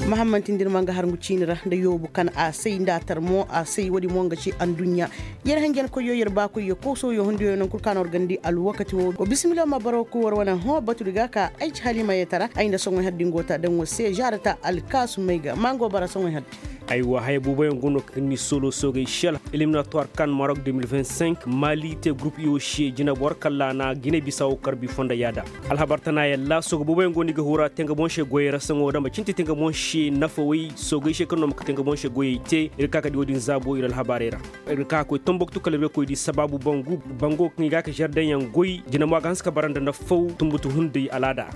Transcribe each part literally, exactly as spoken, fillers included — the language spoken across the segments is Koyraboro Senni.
Mahamman tindi ni ma nga har ngu ciini ra nda yoobu kaŋ a say nda a tar mo a say woodi mo nga ci anduɲɲa. Yer hanjankoyyo yer baakoyyo koosooyo hundiyo naŋ kul kaŋ a na war gandi alwakati wo wa bisimila ma baro ku war wane hõ batudi ga ka ay ci halima yetara ay nda soŋoy haddi ngo ta daŋ war se zaarata alkaasumey ga ma ngo bara soŋoy haddi. Aywa haya booboyaŋ go no kaŋ ni soolo soogey sela eliminatuwar kan marok deux mille vingt-cinq mali te gurup iyo se jinabor kalla na gine bisa wo karbi fonda yaada. Alhabar tana yalla sogo booboyaŋ go no i ga hura tenga boŋ se goyey ra saŋo dama cinti tenga boŋ se nafawey soogey se kaŋ no ma ka tenga boŋ se goyey te ir ga ka ka di wo-din zaabo ir alhabarey ra. Ir ga ka ka koy tomboktu kala ir ga koy di sabaabu bangu bango kaŋ i ga ka zardeŋyaŋ goy jina mo a ga hanse ka bara nda nafaw tumbutu hunday alaada ra.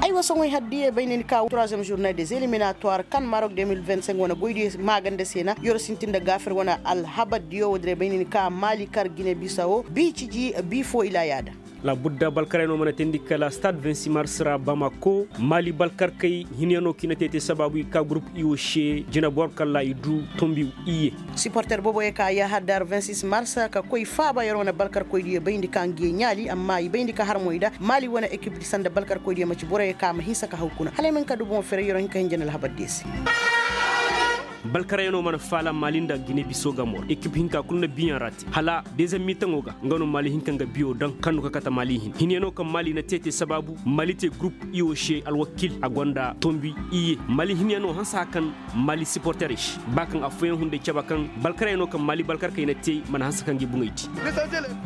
Ay wa soŋoy har diya bay ni ni ka troisième journée des éliminatoires kan marok deux mille vingt-cinq wane goydiyo maaganda se na yoro sintin nda gaafir wane alhabar diyo wo diray bay ni ni ka maali kar gine bisa wo bi ciji bi fo ila yaada. Labudda balkaray no mana teendi kala stade vingt-six mars ra bamako maali balkarkey hinyaŋo kaŋ i na te te sabaabu i ka gurup i wo se jinabor kala i du tombi iyye. Siporter boobo ye ka yaahar dar vingt-six mars ka koy faaba yer wane balkarkoydiyo bayndi ka ngi ye ɲaali amma i bayndi ka har mo i da maali wane ekipdi sanda balkarkoydiyo manci boroyo ka ma hinsa ka haw kuna hala ay ma hin ka du boŋo fere yer wo hin ka hinja nda alhabardiyo se. Balkarayano mana faala maali nda gine biso ga mor ekip hinka kulu na biyaŋ ra te hala dezem miitaŋo ga nga no maali hinka nga biyo daŋ kaŋ no ka kate maali hin hinyano kaŋ maali na te te sabaabu maali te gurup i wo se alwakil a gonda tombi iyye maali hinyano hansa kaŋ maali siporterey se ba kaŋ affooyaŋ hunday cabe kaŋ balkarayano kaŋ maali balkarkey na te mana hanse kaŋ ga i buŋey te.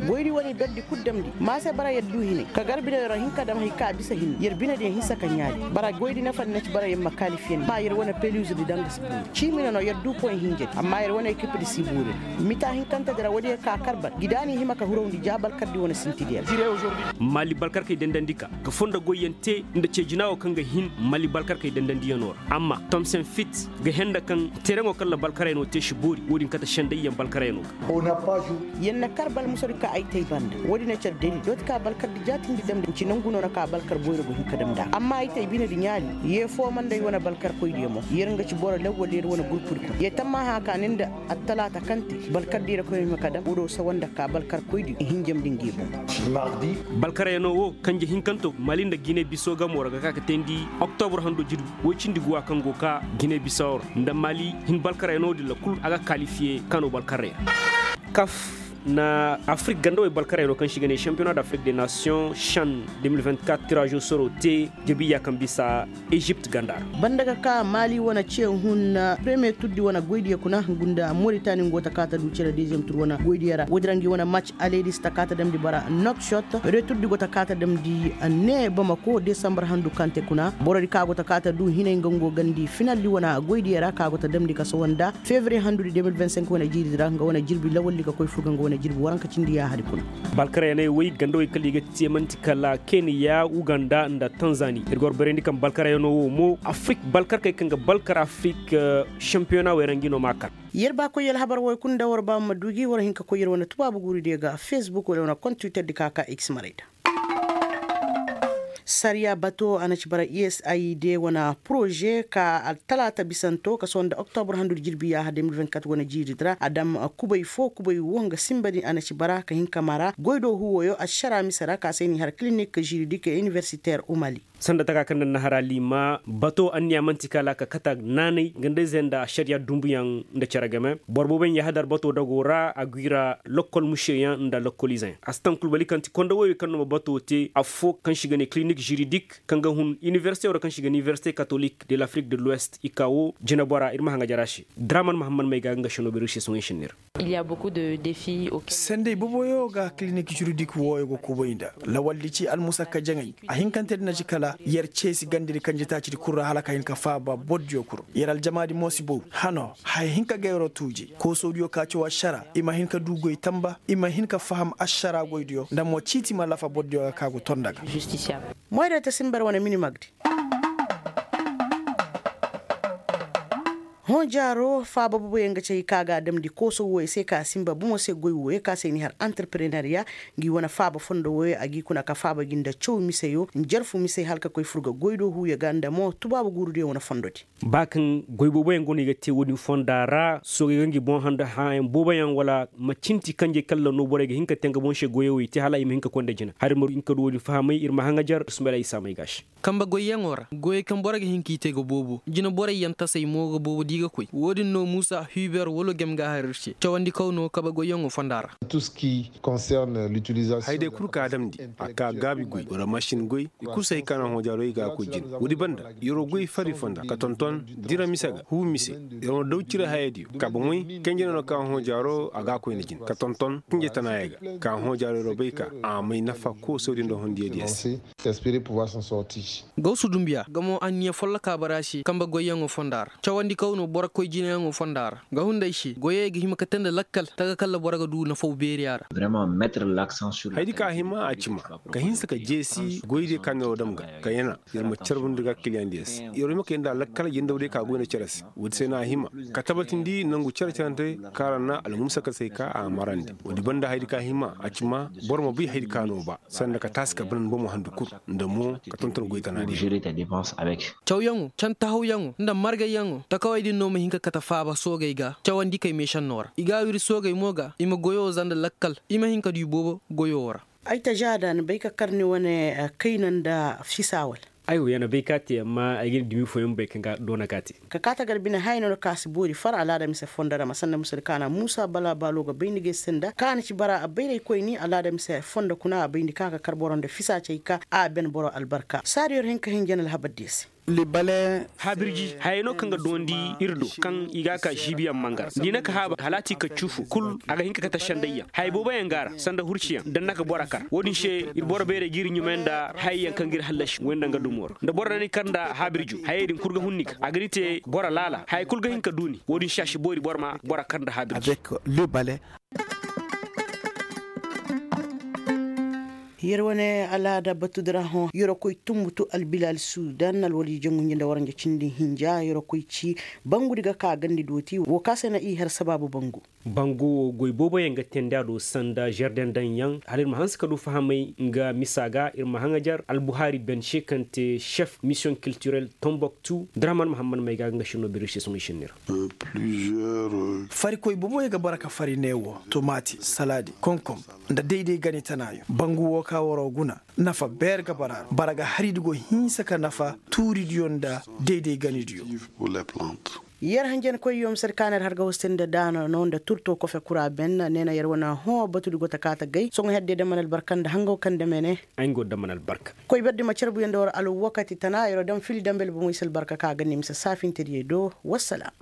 Goydi wane i berdi kul damndi ma se bara yer du hinay ka gar biney ra hin ka dam hay ka a bisa hinne yer binediyaŋ hinsa ka ɲaali bara goydi nafandi na ci bara yer ma kaalifiyandi ma yer wane peluzedi daŋ ga si buuri ciimina no yer du poy hinjadi amma yer wane ekipedi si buuri ra mita hinkantedi ra woodiyo ka kar bara gida n'i hima ka hurawndi ja balkardi wane sintidi ra. Maali balkarkey dandandi ka ga fondo goyyaŋ te nda ceejina wo kaŋ ga hin maali balkarkey dandandiyaŋo ra amma tomsen fit ga henda kaŋ tereŋo kaŋ ra balkarayano te si boori wo-din kate sendayyaŋ balkarayano ga. Yer na kar balmusodi ka ay tay banda wo-din na care deli dooti ka balkardi jaatindi damndi nci nangu no na ka balkar boyro go hin ka damndi a ga amma ay tay binedi ɲaali ye foo manday wane balkarkoydiyo mo yer nga ci boro lawwal yer wane gurpudi kuna ye tammaha ka ni nda attalaata kaŋ te balkardi ra koy hima ka dam wo-do sawa nda ka balkarkoydi hinjamndi ngi boŋ. Balkarayano wo kanje hinkanto maali nda gine biso gamo ra ga ka ka teendi oktobur hando jirbi woy cindi guwa kaŋ go ka gine biso ra nda maali hin balkarayano din ra kul a ga kaalifiye kano balkaray ra. Kaf na afrik gandawey balkarayano kaŋ se i ga ne champiyona d'afrik de nation shan deux mille vingt-quatre tirazo soro te jabiya kaŋ bisa ezipt ganda ra. Banda ga ka maali wane ce hun premier turdi wane goydiyo kuna gunda moritani ngo ta ka ta du cere deziyem tur wane goydiyo ra woodin ra ngi wane match aleedis ta ka ta damndi bara nokshot returdi go ta ka ta damndi ne bamako desambar handu kaŋ te kuna borodi ka go ta ka ta du hinay nga ngo gandi finaldi wane goydiyo ra ka go ta damndi ka sohõ nda fevriye handudi deux mille vingt-cinq wane jiiridi ra nga wane jirbi lawaldi ka koy fur ga nga wane jirbi waranka cindi yaahadi kuna. Balkarayaney wey gandawey kala i ga te man'ti kala keniya uganda nda tanzani ir ga war bayrandi kaŋ balkarayano wo mo afrik balkarkey kaŋ ga balkar afrik shampiyona wey ra ngi no m'a kar. Yer ba koy alhabar wey kulu nda war ba ma du gi war hin ka koy yer wane tubaabu guuridiyo ga facebook wala wane kontwiterdi ka ka x maray da. Sariya bato a na ci bara usaid wane poroze ka talaata bisanto ka sohõ nda oktobur handudi jirbi yaaha deux mille vingt-quatre wane jiiridi ra a dam kubay fo kubay wo nga sinba din a na ci bara ka hin ka mara goy do huwoyo ašara mise ra ka se n'i har kilinik jiridik iniversiter umali. Sanda taka kaŋ na nahara liima bato anniya man'ti kala ka kata naanay gandayzey nda ašariya dumbuyaŋ nda cere game boro booboyaŋ yaahadar bato dago ra a gwi ra lokkol mušeyaŋ nda lokkolizeyaŋ a si taŋ kul bali kaŋ ti konda woyey kaŋ no ma bato te affoo kaŋ se i ga ne kilinik jiridik kaŋ ga hun iniversite wara kaŋ se i ga ne iniversite katolik de lafrik de luwest i ka wo jinabora ir ma haŋa jara se. Draman mahammad may ga nga seno bere ir se sohõ i sinni ra. Sendey boboyo ga kilinik jiridik wooyo ga kubay nda lawaldi ci almusakka jaŋay. Ahinkante din na ci kala yer ceesi gandidi kanjetaacidi kul ra hala ka hin ka faaba bordiyo kul ra yer aljamaadi mo si boru hano haya hinka ga yeroo tuuji koosodiyo ka caw ašara i ma hin ka du goy tamba i ma hin ka faham ašara goydiyo nda mo ciiti ma lafa bordiyo ga ka go tonda ga. Moyda ta simbar wane minimagdi. Hõ jaaro faaba boboyaŋ ga ci hay ka ga a damndi kooso wooyo se ka a sinba bomo se goy wooyo ka se i na i har antarpreneriya. Ngi wane faaba fondo wooyo a g'i kuna ka faaba gi nda caw miseyo njarfu mise hala ka koy fur ga goy do huuyo ga nda mo tubaabu guurudiyo wane fondodi. Ba kaŋ goy booboyaŋ go no i ga te woodin fonda ra soogey ga ngi boŋ handa hããyaŋ booboyaŋ wala ma cinti kanjey kaŋ lanno borey ga hin ka te nga boŋ se goyey wo i te hala i ma hin ka koy nda jina hala ir ma hin ka du woodin fahamay ir ma haŋajar ir sumbay ra i saamay ga a se. Kambe goyyaŋo ra goyey kaŋ boro ga hin k'i te ga boobo jineborey yaŋ tasey mo ga boobo da i ga koy wo-din no muusa hiiber wala gem ga a har ir se cawandikaw no kabe goyyaŋo fonda ra. Haya day kul kaŋ a damndi a ka gaabi goy wala masin goy i kul se hay kaŋ a na hõ jaaro i ga a koy jine wo-din banda yeroo goy fari fonda ka tonton dira mise ga huu mise. Yeroo daw cire hayadiyo ka bomoy kanjey no kaŋ a hõ jaaro a ga a koy nda jine ka tonton kanjey tanaayey ga ka a hõ jaaro yeroo bay ka a may nafa koosodiyo nda hondiyadiyo se. Gawsu dumbiya nga mo anniya folloka bara se kambe goyyaŋo fonda ra cawandi kaw no boro koy jinayaŋo fonda ra nga hunday se goyey ga hima ka te nda lakkal taga kalla boro ga du nafaw beeriya ra. Hayadi ka hima a ci ma ka hinsa ka jeesi goydiyo ka neeroo dam ga ka yana yer ma carbundi ga kiliyaŋdiyo se yer ma kay nda lakkal yendawdiyo ka goy nda cere se. Woodi se no a hima ka tabatindi nangu cere-cerante kaŋ ra na almusa ka se ka a marandi woodi banda hayadi ka hima a ci ma boro ma bay hayadi ka no ba sanda ka taasi ka banan bomo handu kul nda mo ka tonton goy tanaadiyo. Cawyaŋo cantahawyaŋo nda margayyaŋo takawey din no ma hin ka kate faaba soogey ga cawandi kay meešannoo ra i ga a wiri soogey mo ga i ma goyoo za nda lakkal i ma hin ka du i boobo goyoo ra. Ay tažaada ni bay ka kar ni wane kayna nda fisaa wala? Ay wo ya na bay ka a te amma ay ga ni dumi fooyaŋ bay kaŋ ga doona ka a te. Ka kaa tagar bine hayno nda ka si boori far alaada mise fondo ra ma sanda musadi kaana muusa bala baalo ga bay ni ga ay sanda kaana ci bara a bayraykoyni alaada mise fondo kuna a bay ni ka ka kar boro nda fisaa cay ka a ben boro albarka saadi yer hin ka hin jana alhabardiyo se. Haabirji hayey no kaŋ ga doondi ir do kaŋ i ga a ka žiibiyaŋ mangar da i na ka haaba halaati ka cuufu kul a ga hin ka kate sendayyaŋ hayey booboyaŋ ga a ra sanda hurciyaŋ da ni na ka boro kar wo-din se ir boro bayray ga ir ɲumay nda hayey yaŋ kaŋ ga ir hallasi way nda nga dumo ra nda boro na ni kar nda haabirjo hayey din kul ga hun ni ga a ga ni te boro laala hayey kul ga hin ka du ni wo-din se a si boori boro ma boro kar nda haabirji. Yer wane alaada batudi ra hõ yeroo koy tumbutu albilal sudan alwaljijaŋ gunji nda waranja cindi hinja yeroo koy ci bangudi ga ka gandi dooti woo ka se na i har sabaabu bangu. Bangu woo goy booboyaŋ ga teendi a do sanda žardeŋ daŋyaŋ hala ir ma hanse ka du fahamay nga misa ga ir ma haŋajar albuhari benše kaŋ te šef misiyoŋ kiltirel tombok tu draman mahammad may ga nga šinno biri se soŋay šinni ra. Farikoy booboyaŋ ga bara ka fari neewo tomaati salaadi konkom nda dayday gani tanaayo bangu woo ka waroo guna nafa beer ga bara ra bara ga haridi go hinsa ka nafa tuuridiyo nda dayday ganidiyo. Yer hanjankoyyo mise di kaana yer har ga hostandi daana no nda turto kofe kura ben ne na yer wane hõ batudi go ta kaa ta gay soŋo hedde daman albarka nda hangaw kaŋ dame ne. Ay nga go daman albarka. Koy berdi ma carbuyo nda war alwakati tana yeroo dam fili dambel bomoy se albarka ka ga ne mise saafintediyey do. Wassalam.